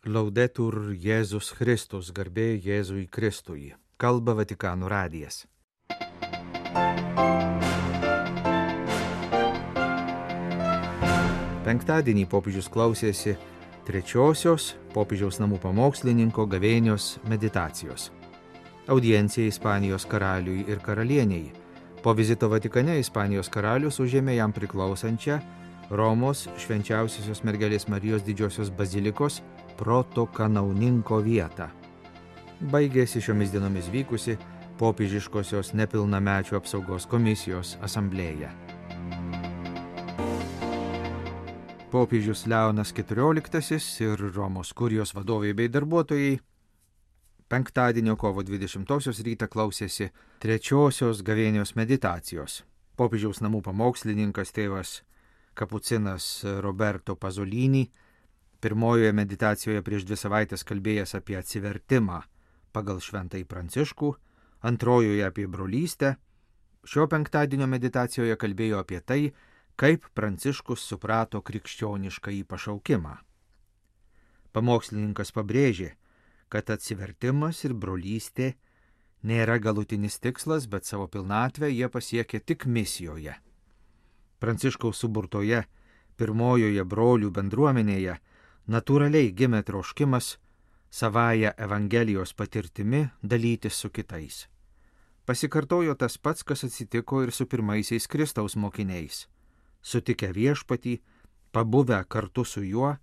Laudetur Jėzus Kristus, garbė Jėzui Kristui. Kalba Vatikano radijas. Penktadienį popiežius klausėsi trečiosios popiežiaus namų pamokslininko gavėnios meditacijos. Audiencija Ispanijos karaliui ir karalieniai. Po vizito Vatikane Ispanijos karalius užėmė jam priklausančią Romos švenčiausiosios mergelės Marijos didžiosios bazilikos protokanauninko vietą. Baigėsi šiomis dienomis vykusi popiežiškosios nepilnamečių apsaugos komisijos asamblėja. Popiežius Leonas XIV ir Romos kurijos vadovai bei darbuotojai penktadienio kovo 20 rytą klausėsi trečiosios gavėnios meditacijos. Popiežiaus namų pamokslininkas tėvas kapucinas Roberto Pasolini pirmojoje meditacijoje prieš 2 savaitės kalbėjęs apie atsivertimą pagal Šventąjį Pranciškų, antrojoje apie brolystę, šio penktadienio meditacijoje kalbėjo apie tai, kaip Pranciškus suprato krikščioniškąjį pašaukimą. Pamokslininkas pabrėžė, kad atsivertimas ir brolystė nėra galutinis tikslas, bet savo pilnatvę jie pasiekė tik misijoje. Pranciškaus suburtoje pirmojoje brolių bendruomenėje natūraliai gimė troškimas savąją Evangelijos patirtimi dalytis su kitais. Pasikartojo tas pats, kas atsitiko ir su pirmaisiais Kristaus mokiniais. Sutikę viešpatį, pabuvę kartu su juo,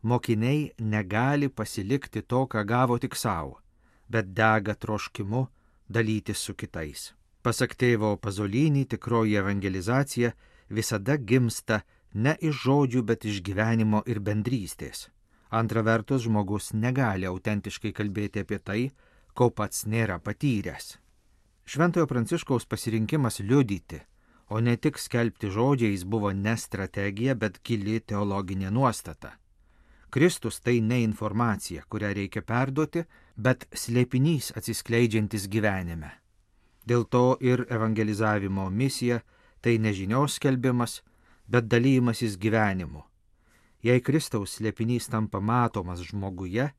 mokiniai negali pasilikti to, ką gavo tik savo, bet dega troškimu dalytis su kitais. Pasak tėvo Pasolini, tikroji evangelizacija visada gimsta ne iš žodžių, bet iš gyvenimo ir bendrystės. Antra vertus, žmogus negali autentiškai kalbėti apie tai, ko pats nėra patyręs. Šventojo Pranciškaus pasirinkimas liudyti, o ne tik skelbti žodžiais, buvo ne strategija, bet gili teologinė nuostata. Kristus tai ne informacija, kurią reikia perduoti, bet slėpinys atsiskleidžiantis gyvenime. Dėl to ir evangelizavimo misija tai ne žinios skelbimas, bet dalymasis gyvenimu. Jei Kristaus slėpinys tampa matomas žmoguje,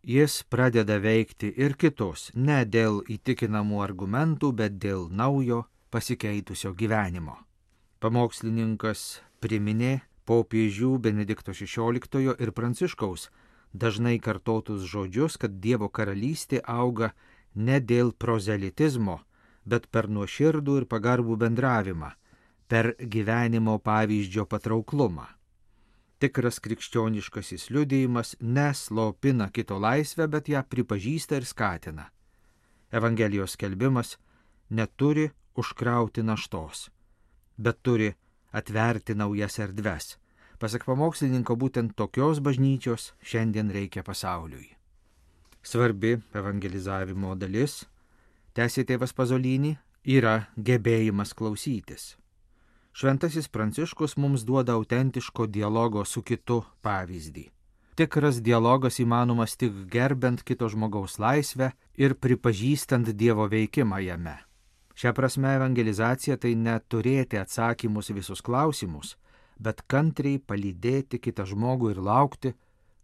jis pradeda veikti ir kitus, ne dėl įtikinamų argumentų, bet dėl naujo pasikeitusio gyvenimo. Pamokslininkas priminė popiežių Benedikto XVI ir Pranciškaus dažnai kartotus žodžius, kad Dievo karalystė auga ne dėl prozelitizmo, bet per nuoširdų ir pagarbų bendravimą, per gyvenimo pavyzdžio patrauklumą. Tikras krikščioniškasis liudijimas neslopina kito laisvę, bet ją pripažįsta ir skatina. Evangelijos skelbimas neturi užkrauti naštos, bet turi atverti naujas erdves. Pasak pamokslininko, būtent tokios bažnyčios šiandien reikia pasauliui. Svarbi evangelizavimo dalis, tęsė tėvas Pasolini, yra gebėjimas klausytis. Šventasis Pranciškus mums duoda autentiško dialogo su kitu pavyzdį. Tikras dialogas įmanomas tik gerbent kito žmogaus laisvę ir pripažįstant Dievo veikimą jame. Šią prasme evangelizacija tai neturėti atsakymus visus klausimus, bet kantriai palydėti kitą žmogų ir laukti,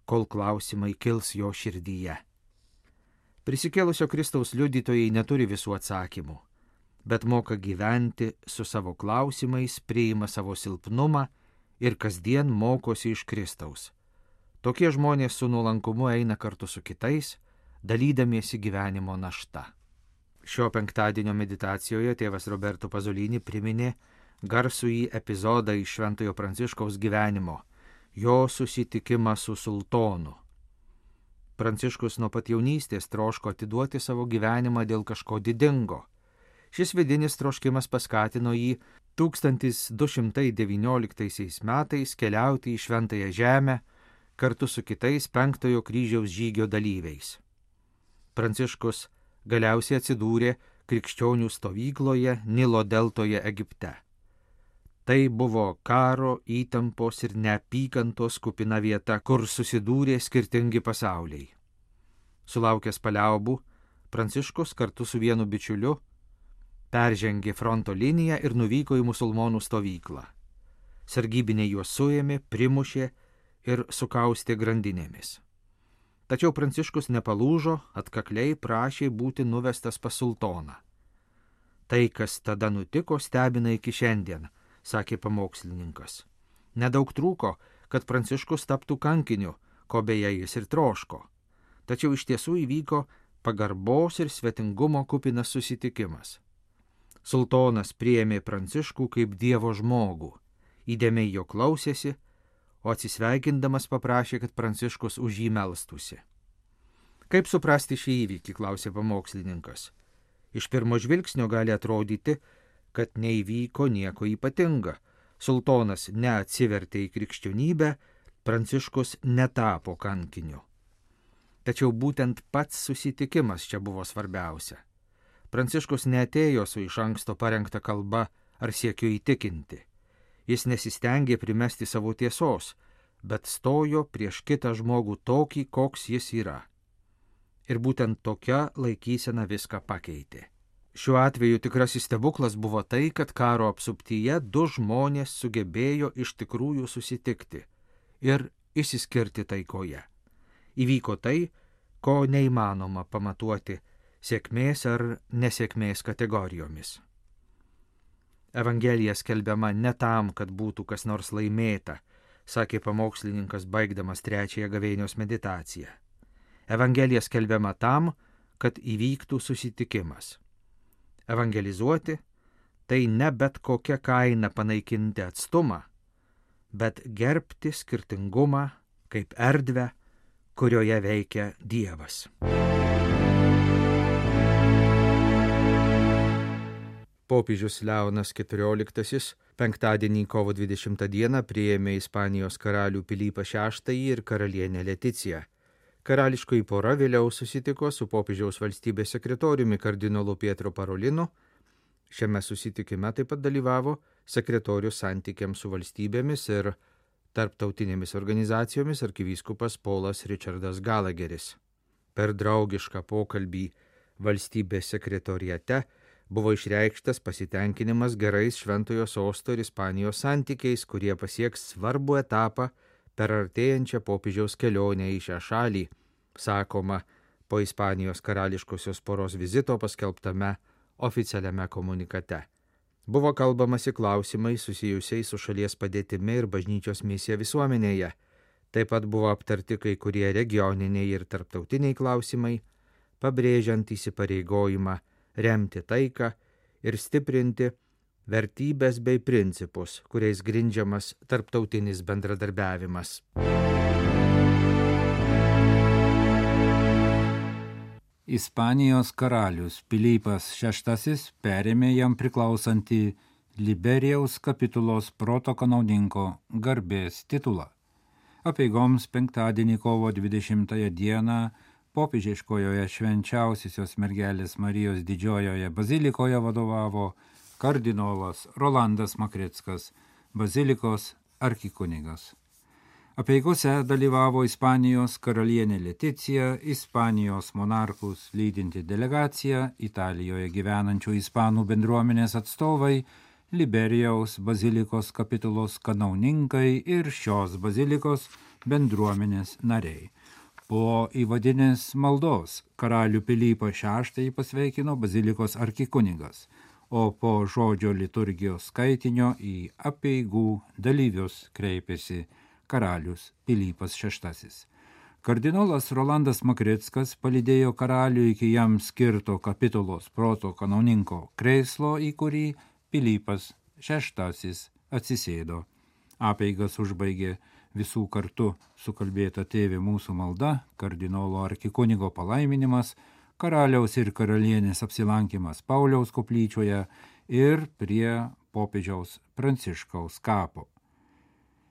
kol klausimai kils jo širdyje. Prisikėlusio Kristaus liudytojai neturi visų atsakymų, bet moka gyventi su savo klausimais, priima savo silpnumą ir kasdien mokosi iš Kristaus. Tokie žmonės su nuolankumu eina kartu su kitais, dalydamiesi gyvenimo našta. Šio penktadienio meditacijoje tėvas Roberto Pasolini priminė garsųjį epizodą iš Šventojo Pranciškaus gyvenimo, jo susitikimą su sultonu. Pranciškus nuo pat jaunystės troško atiduoti savo gyvenimą dėl kažko didingo. Šis vidinis troškimas paskatino jį 1219 metais keliauti į Šventąją Žemę kartu su kitais 5 kryžiaus žygio dalyviais. Pranciškus galiausiai atsidūrė krikščionių stovykloje Nilo deltoje Egipte. Tai buvo karo, įtampos ir neapykantos kupina vieta, kur susidūrė skirtingi pasauliai. Sulaukęs paliaubų, Pranciškus kartu su vienu bičiuliu peržengė fronto liniją ir nuvyko į musulmonų stovyklą. Sargybiniai juos suėmė, primušė ir sukaustė grandinėmis. Tačiau Pranciškus nepalūžo, atkakliai prašė būti nuvestas pas sultoną. Tai, kas tada nutiko, stebina iki šiandien, sakė pamokslininkas. Nedaug trūko, kad Pranciškus taptų kankiniu, ko beje jis ir troško. Tačiau iš tiesų įvyko pagarbos ir svetingumo kupinas susitikimas. Sultonas priėmė Pranciškų kaip Dievo žmogų, įdėmiai jo klausėsi, o atsisveikindamas paprašė, kad Pranciškus už jį melstųsi. Kaip suprasti šį įvykį, klausė pamokslininkas. Iš pirmo žvilgsnio gali atrodyti, kad neįvyko nieko ypatinga. Sultonas neatsivertė į krikščionybę, Pranciškus netapo kankiniu. Tačiau būtent pats susitikimas čia buvo svarbiausia. Pranciškus neatėjo su iš anksto parengta kalba ar siekiu įtikinti. Jis nesistengė primesti savo tiesos, bet stojo prieš kitą žmogų tokį, koks jis yra. Ir būtent tokia laikysena viską pakeitė. Šiuo atveju tikrasis stebuklas buvo tai, kad karo apsuptyje du žmonės sugebėjo iš tikrųjų susitikti ir išsiskirti taikoje. Įvyko tai, ko neįmanoma pamatuoti sėkmės ar nesėkmės kategorijomis. Evangelija skelbiama ne tam, kad būtų kas nors laimėta, sakė pamokslininkas baigdamas 3 gavėnios meditaciją. Evangelija skelbiama tam, kad įvyktų susitikimas. Evangelizuoti tai ne bet kokia kaina panaikinti atstumą, bet gerbti skirtingumą kaip erdvę, kurioje veikia Dievas. Popiežius Leonas XIV penktadienį kovo 20 dieną priėmė Ispanijos karalių Pilypą VI ir karalienę Leticiją. Karališkoji pora vėliau susitiko su popiežiaus valstybės sekretoriumi kardinolu Pietro Parolinu. Šiame susitikime taip pat dalyvavo sekretorius santykiams su valstybėmis ir tarptautinėmis organizacijomis arkivyskupas Polas Richardas Gallagheris. Per draugišką pokalbį valstybės sekretoriate buvo išreikštas pasitenkinimas gerais Šventojo Sosto ir Ispanijos santykiais, kurie pasieks svarbų etapą per artėjančią popiežiaus kelionę į šią šalį, sakoma po Ispanijos karališkosios poros vizito paskelbtame oficialiame komunikate. Buvo kalbamasi klausimai susijusiai su šalies padėtimi ir bažnyčios misija visuomenėje. Taip pat buvo aptarti kai kurie regioniniai ir tarptautiniai klausimai, pabrėžiant įsipareigojimą remti taiką ir stiprinti vertybės bei principus, kuriais grindžiamas tarptautinis bendradarbiavimas. Ispanijos karalius Pilypas VI perėmė jam priklausantį Liberijaus kapitulos protokanauninko garbės titulą. Apeigoms penktadienį kovo 20 dieną popiežiškojoje švenčiausiosios mergelės Marijos didžiojoje bazilikoje vadovavo kardinolas Rolandas Makrickas, bazilikos arkikunigas. Apeigose dalyvavo Ispanijos karalienė Leticija, Ispanijos monarchus lydinti delegacija, Italijoje gyvenančių ispanų bendruomenės atstovai, Liberijaus bazilikos kapitulos kanauninkai ir šios bazilikos bendruomenės nariai. Po įvadinės maldos karalių Pilypą VI pasveikino bazilikos arkikunigas, o po žodžio liturgijos skaitinio į apeigų dalyvius kreipėsi karalius Pilypas VI. Kardinolas Rolandas Makrickas palydėjo karalių iki jam skirto kapitulos protokanauninko krėslo, į kurį Pilypas VI atsisėdo. Apeigas užbaigė visų kartu sukalbėta Tėve mūsų malda, kardinolo arkikunigo palaiminimas, karaliaus ir karalienės apsilankimas Pauliaus koplyčioje ir prie popiežiaus Pranciškaus kapo.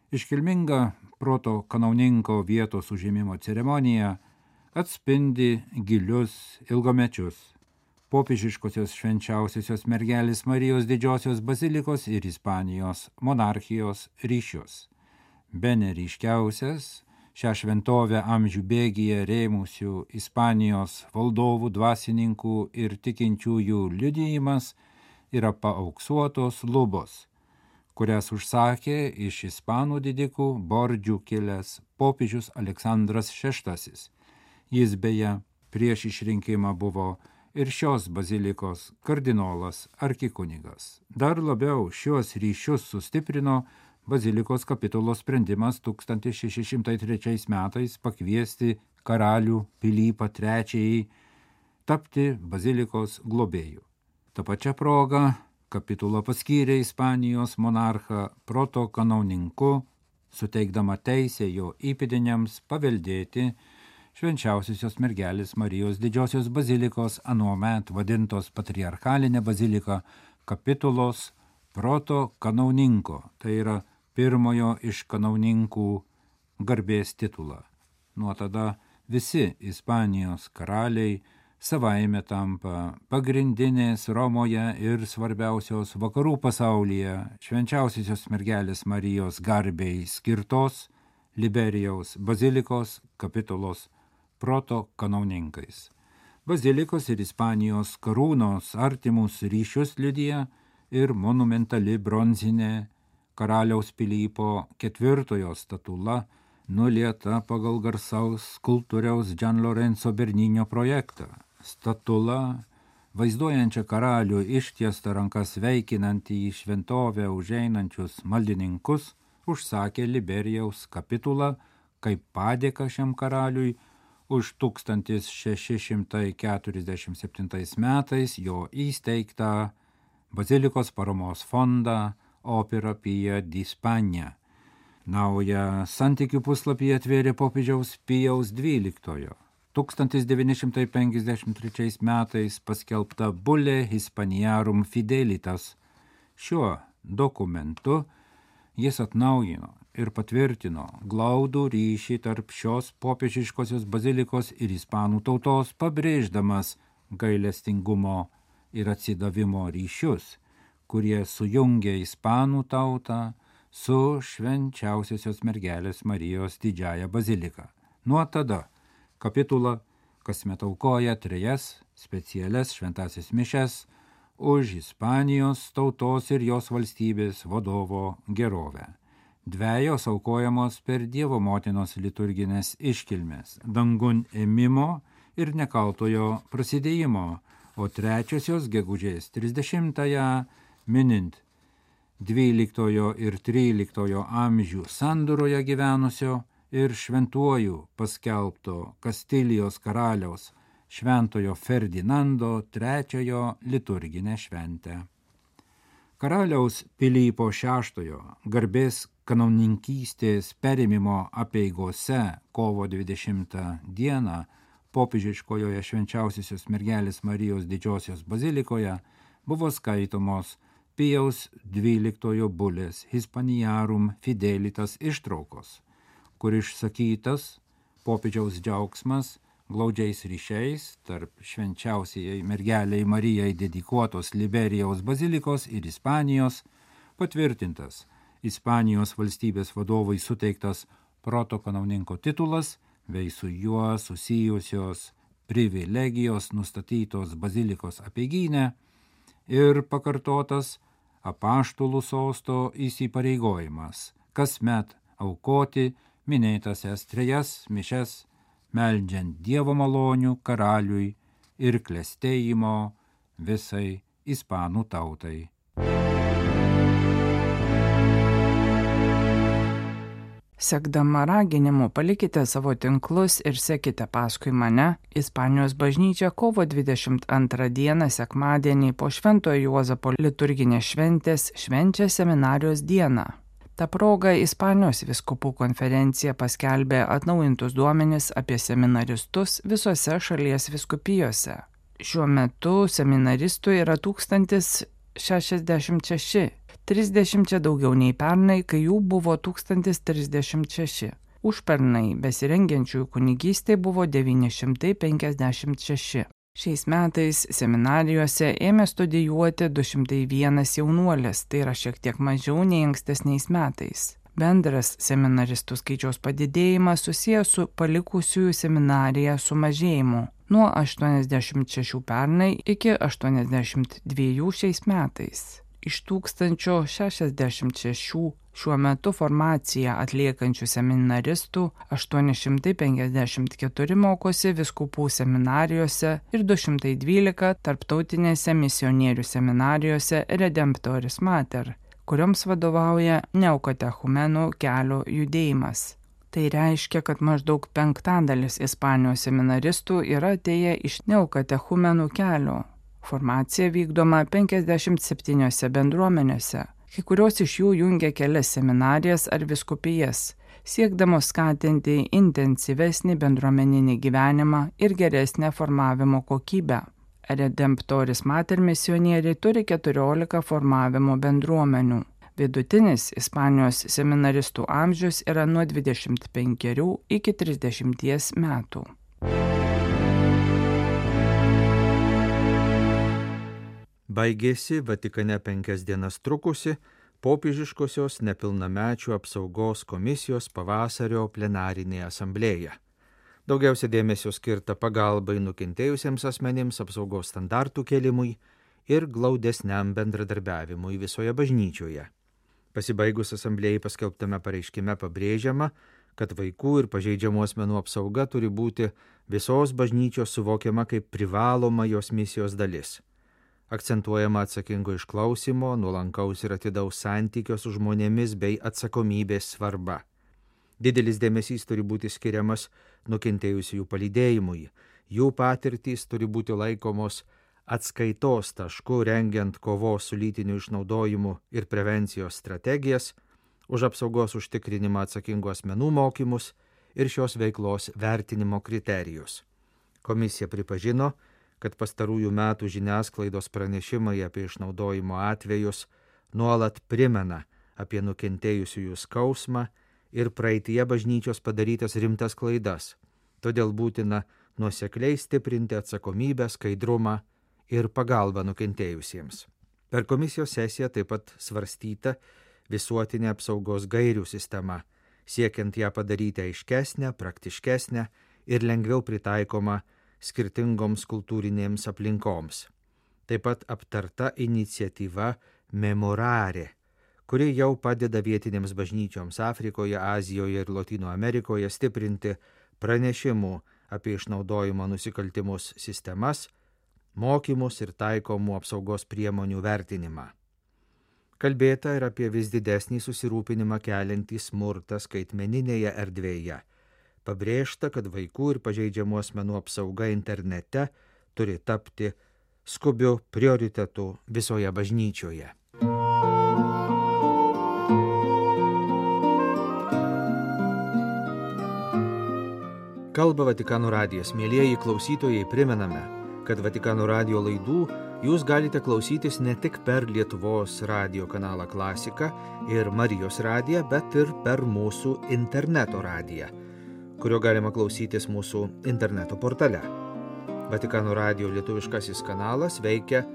Iškilminga proto kanauninko vietos užėmimo ceremonija atspindi gilius ilgamečius popiežiškosios švenčiausiosios mergelės Marijos didžiosios bazilikos ir Ispanijos monarchijos ryšius. Bene ryškiausias šią šventovę amžių bėgyje rėmusių Ispanijos valdovų, dvasininkų ir tikinčiųjų liudijimas yra paauksuotos lubos, kurias užsakė iš ispanų didikų Bordžių kilęs popiežius Aleksandras VI Jis beje prieš išrinkimą buvo ir šios bazilikos kardinolas arkikunigas. Dar labiau šios ryšius sustiprino bazilikos kapitulos sprendimas 1603 metais pakviesti karalių Pilypą III tapti bazilikos globėju. Ta pačia proga kapitula paskyrė Ispanijos monarchą protokanauninku, suteikdama teisę jo įpėdiniams paveldėti Švenčiausiosios mergelės Marijos didžiosios bazilikos anuomet vadintos patriarchalinė bazilika kapitulos protokanauninko, tai yra pirmojo iš kanauninkų garbės titulą. Nuo tada visi Ispanijos karaliai savaime tampa pagrindinės Romoje ir svarbiausios vakarų pasaulyje Švenčiausiosios mergelės Marijos garbei skirtos Liberijaus bazilikos kapitulos protokanauninkais. Bazilikos ir Ispanijos karūnos artimus ryšius liudija ir monumentali bronzinė karaliaus Pilypo IV statula, nulieta pagal garsaus skulptoriaus Gian Lorenzo Bernino projektą. Statula, vaizduojančią karalių ištiestą rankas veikinantį į šventovę užeinančius maldininkus, užsakė Liberijaus kapitula kaip padėką šiam karaliui už 1647 metais jo įsteigtą bazilikos paramos fondą Opera Pia di Spagna. Naują santykių puslapį atvėrė popiežiaus Pijaus XII. 1953 metais paskelbta Bulle Hispaniarum Fidelitas. Šiuo dokumentu jis atnaujino ir patvirtino glaudų ryšį tarp šios popiežiškosios bazilikos ir ispanų tautos, pabrėždamas gailestingumo ir atsidavimo ryšius, kurie sujungia ispanų tautą su Švenčiausiosios mergelės Marijos didžiąja bazilika. Nuo tada kapitula kasmet aukoja 3 specialias šventąsias mišias už Ispanijos tautos ir jos valstybės vadovo gerovę. 2 aukojamos per Dievo motinos liturginės iškilmes, dangun ėmimo ir nekaltojo prasidėjimo, o 3 gegužės 30-ąją minint 12 ir 13 amžių sandūroje gyvenusio ir šventuoju paskelbto Kastilijos karaliaus šventojo Ferdinando III liturginę šventę. Karaliaus Pilypo VI garbės kanauninkystės perėmimo apeigose kovo 20 dieną popiežiškojoje Švenčiausiosios mergelės Marijos didžiosios bazilikoje buvo skaitomos Pijaus XII Bullės Hispaniarum Fidelitas ištraukos, kur išsakytas popiežiaus džiaugsmas glaudžiais ryšiais tarp švenčiausiai mergelei Marijai dedikuotos Liberijaus bazilikos ir Ispanijos, patvirtintas Ispanijos valstybės vadovui suteiktas protokanauninko titulas, bei su juo susijusios privilegijos nustatytos bazilikos apeigyne ir pakartotas apaštalų sosto įsipareigojimas kasmet aukoti minėtasias 3 mišias, meldžiant Dievo malonių karaliui ir klestėjimo visai ispanų tautai. Sekdama raginimu palikite savo tinklus ir sekite paskui mane, Ispanijos bažnyčia kovo 22 dieną sekmadienį po Šventojo Juozapo liturginės šventės švenčia seminarijos dieną. Ta proga Ispanijos vyskupų konferencija paskelbė atnaujintus duomenis apie seminaristus visose šalies vyskupijose. Šiuo metu seminaristų yra 1066, 30 daugiau nei pernai, kai jų buvo 1036. Užpernai besirengiančiųjų kunigystei buvo 956. Šiais metais seminarijose ėmė studijuoti 201 jaunuolis, tai yra šiek tiek mažiau nei ankstesniais metais. Bendras seminaristų skaičiaus padidėjimas susijęs su palikusiųjų seminariją sumažėjimu nuo 86 pernai iki 82 šiais metais. Iš 1066 Šiuo metu formaciją atliekančių seminaristų 854 mokosi vyskupų seminarijose ir 212 tarptautinėse misionierių seminarijose Redemptoris Mater, kurioms vadovauja Neokatechumenų kelio judėjimas. Tai reiškia, kad maždaug 5% Ispanijos seminaristų yra atėję iš Neokatechumenų kelio. Formacija vykdoma 57 bendruomenėse. Kai kurios iš jų jungia kelias seminarijas ar vyskupijas, siekdamos skatinti intensyvesnį bendruomeninį gyvenimą ir geresnę formavimo kokybę. Redemptoris Mater misionieriai turi 14 formavimo bendruomenių. Vidutinis Ispanijos seminaristų amžius yra nuo 25 iki 30 metų. Baigėsi Vatikane 5 dienas trukusi popiežiškosios nepilnamečių apsaugos komisijos pavasario plenarinė asamblėja. Daugiausia dėmesio skirta pagalbai nukentėjusiems asmenims, apsaugos standartų kėlimui ir glaudesniam bendradarbiavimui visoje bažnyčioje. Pasibaigus asamblėjai paskelbtame pareiškime pabrėžiama, kad vaikų ir pažeidžiamų asmenų apsauga turi būti visos bažnyčios suvokiama kaip privaloma jos misijos dalis. Akcentuojama atsakingo išklausimo, nuolankaus ir atidaus santykio su žmonėmis bei atsakomybės svarba. Didelis dėmesys turi būti skiriamas nukentėjusiųjų palydėjimui. Jų patirtys turi būti laikomos atskaitos tašku rengiant kovos su lytiniu išnaudojimu ir prevencijos strategijas, už apsaugos užtikrinimą atsakingų asmenų mokymus ir šios veiklos vertinimo kriterijus. Komisija pripažino, kad pastarųjų metų žiniasklaidos pranešimai apie išnaudojimo atvejus nuolat primena apie nukentėjusiųjų skausmą ir praeityje bažnyčios padarytas rimtas klaidas. Todėl būtina nuosekliai stiprinti atsakomybę, skaidrumą ir pagalbą nukentėjusiems. Per komisijos sesiją taip pat svarstyta visuotinė apsaugos gairių sistema, siekiant ją padaryti aiškesnę, praktiškesnę ir lengviau pritaikomą skirtingoms kultūrinėms aplinkoms. Taip pat aptarta iniciatyva Memorare, kuri jau padeda vietinėms bažnyčioms Afrikoje, Azijoje ir Lotynų Amerikoje stiprinti pranešimų apie išnaudojimo nusikaltimus sistemas, mokymus ir taikomų apsaugos priemonių vertinimą. Kalbėta ir apie vis didesnį susirūpinimą keliantį smurtą skaitmeninėje erdvėje. Pabrėžta, kad vaikų ir pažeidžiamų asmenų apsauga internete turi tapti skubiu prioritetu visoje bažnyčioje. Kalba Vatikano radijas. Mielieji klausytojai, primename, kad Vatikano radijo laidų jūs galite klausytis ne tik per Lietuvos radijo kanalą Klasika ir Marijos radiją, bet ir per mūsų interneto radiją, kurio galima klausytis mūsų interneto portale. Vatikano radijo lietuviškasis kanalas veikia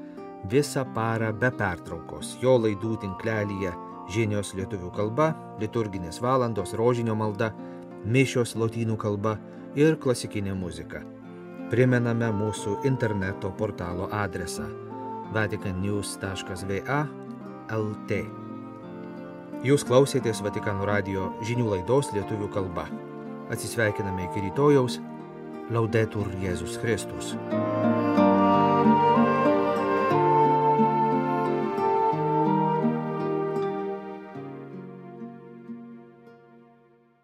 visą parą be pertraukos. Jo laidų tinklelyje žinios lietuvių kalba, liturginės valandos, rožinio malda, mišios lotynų kalba ir klasikinė muzika. Primename mūsų interneto portalo adresą vaticannews.va/lt. Jūs klausėtės Vatikano radijo žinių laidos lietuvių kalba. Atsisveikiname iki rytojaus. Laudetur Jėzus Kristus.